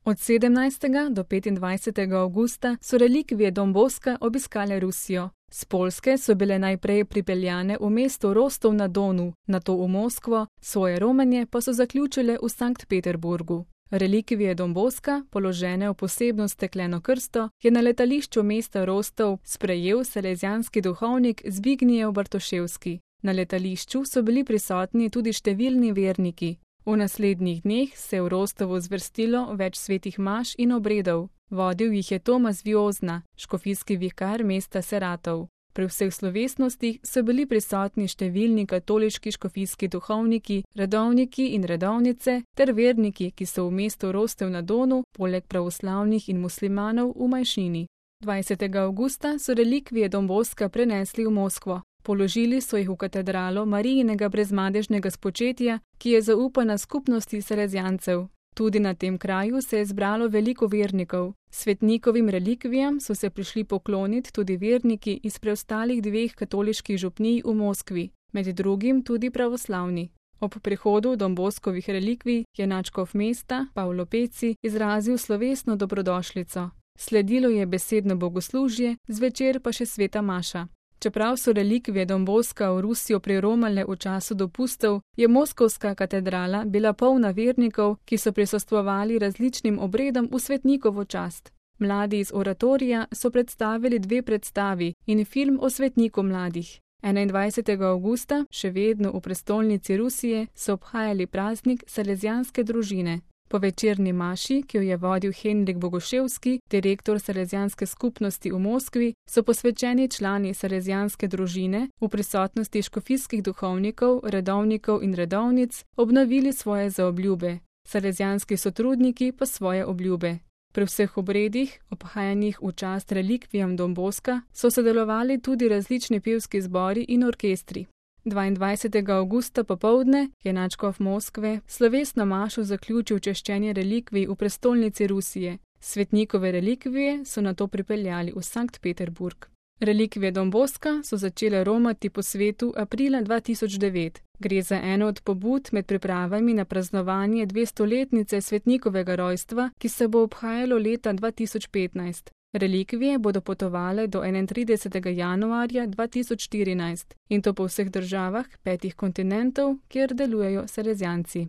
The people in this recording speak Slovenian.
Od 17. do 25. avgusta so relikvije Don Bosca obiskale Rusijo. Z Poljske so bile najprej pripeljane v mesto Rostov na Donu, nato v Moskvo, svoje romanje pa so zaključile v Sankt Peterburgu. Relikvije Don Bosca, položene v posebno stekleno krsto, je na letališču mesta Rostov sprejel salezijanski duhovnik Zbigniew Bartoševski. Na letališču so bili prisotni tudi številni verniki. V naslednjih dneh se je v Rostovu zvrstilo več svetih maš in obredov. Vodil jih je Tomas Viozna, škofijski vikar mesta Saratov. Pri vseh slovesnostih so bili prisotni številni katoliški škofijski duhovniki, redovniki in redovnice ter verniki, ki so v mestu Rostov na Donu, poleg pravoslavnih in muslimanov v manjšini. 20. avgusta so relikvije Don Bosca prenesli v Moskvo. Položili so jih v katedralo Marijinega brezmadežnega spočetja, ki je zaupana skupnosti salezijancev. Tudi na tem kraju se je zbralo veliko vernikov. Svetnikovim relikvijam so se prišli pokloniti tudi verniki iz preostalih dveh katoliških župnij v Moskvi, med drugim tudi pravoslavni. Ob prihodu Don Boscovih relikvij je nadškof mesta, Pavlo Peci, izrazil slovesno dobrodošlico. Sledilo je besedno bogoslužje, zvečer pa še sveta maša. Čeprav so relikvije Don Bosca v Rusijo priromale v času dopustov, je moskovska katedrala bila polna vernikov, ki so prisostvovali različnim obredom v svetnikovo čast. Mladi iz oratorija so predstavili 2 predstavi in film o svetniku mladih. 21. avgusta, še vedno v prestolnici Rusije, so obhajali praznik salezijanske družine. Po večerni maši, ki jo je vodil Henrik Bogoševski, direktor salezijanske skupnosti v Moskvi, so posvečeni člani salezijanske družine v prisotnosti škofijskih duhovnikov, redovnikov in redovnic obnovili svoje zaobljube, salezijanski sotrudniki pa svoje obljube. Pri vseh obredih, obhajanih v čast relikvijam Don Bosca, so sodelovali tudi različni pevski zbori in orkestri. 22. avgusta popoldne je nadškof Moskve slovesno mašo zaključil češčenje relikvij v prestolnici Rusije. Svetnikove relikvije so nato pripeljali v Sankt Peterburg. Relikvije Don Bosca so začele romati po svetu aprila 2009. Gre za eno od pobud med pripravami na praznovanje 200-letnice svetnikovega rojstva, ki se bo obhajalo leta 2015. Relikvije bodo potovale do 31. januarja 2014 in to po vseh državah 5 kontinentov, kjer delujejo salezijanci.